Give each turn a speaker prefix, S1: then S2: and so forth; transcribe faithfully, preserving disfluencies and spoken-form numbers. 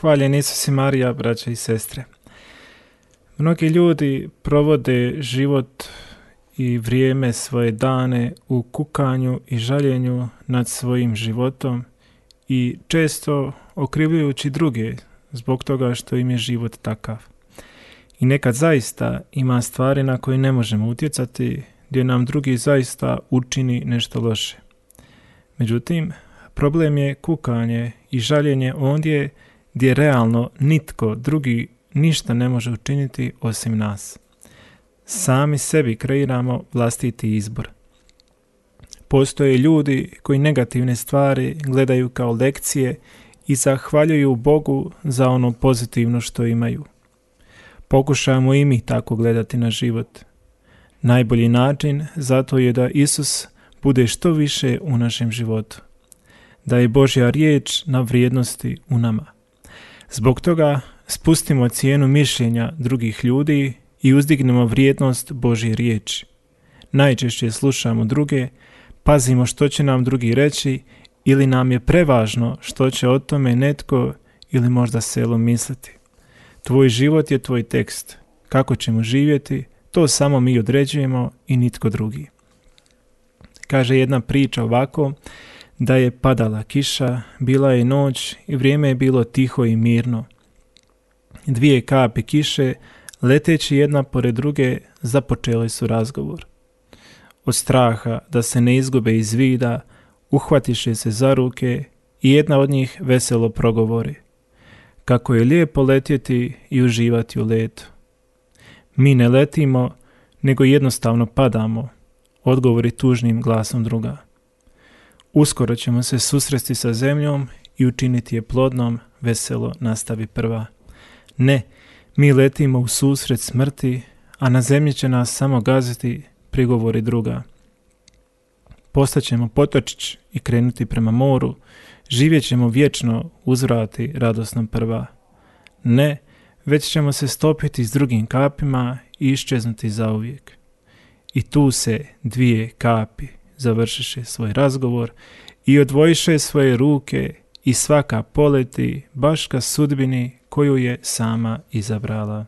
S1: Hvaljen Isus i Marija, braće i sestre. Mnogi ljudi provode život i vrijeme, svoje dane u kukanju i žaljenju nad svojim životom i često okrivljujući druge zbog toga što im je život takav. I nekad zaista ima stvari na koje ne možemo utjecati, gdje nam drugi zaista učini nešto loše. Međutim, problem je kukanje i žaljenje ondje gdje realno nitko drugi ništa ne može učiniti osim nas. Sami sebi kreiramo vlastiti izbor. Postoje ljudi koji negativne stvari gledaju kao lekcije i zahvaljuju Bogu za ono pozitivno što imaju. Pokušajmo i mi tako gledati na život. Najbolji način zato je da Isus bude što više u našem životu. Da je Božja riječ na vrijednosti u nama. Zbog toga spustimo cijenu mišljenja drugih ljudi i uzdignemo vrijednost Božje riječi. Najčešće slušamo druge, pazimo što će nam drugi reći ili nam je prevažno što će o tome netko ili možda selo misliti. Tvoj život je tvoj tekst. Kako ćemo živjeti, to samo mi određujemo i nitko drugi. Kaže jedna priča ovako, da je padala kiša, bila je noć i vrijeme je bilo tiho i mirno. Dvije kapi kiše, leteći jedna pored druge, započele su razgovor. Od straha da se ne izgube iz vida, uhvatiše se za ruke i jedna od njih veselo progovori. Kako je lijepo letjeti i uživati u letu. Mi ne letimo, nego jednostavno padamo, odgovori tužnim glasom druga. Uskoro ćemo se susresti sa zemljom i učiniti je plodnom, veselo nastavi prva. Ne, mi letimo u susret smrti, a na zemlji će nas samo gaziti, prigovori druga. Postaćemo potočić i krenuti prema moru, živjet ćemo vječno, uzvrati radosno prva. Ne, već ćemo se stopiti s drugim kapima i iščeznuti zauvijek. I tu se dvije kapi završiše svoj razgovor i odvojiše svoje ruke i svaka poleti baš ka sudbini koju je sama izabrala.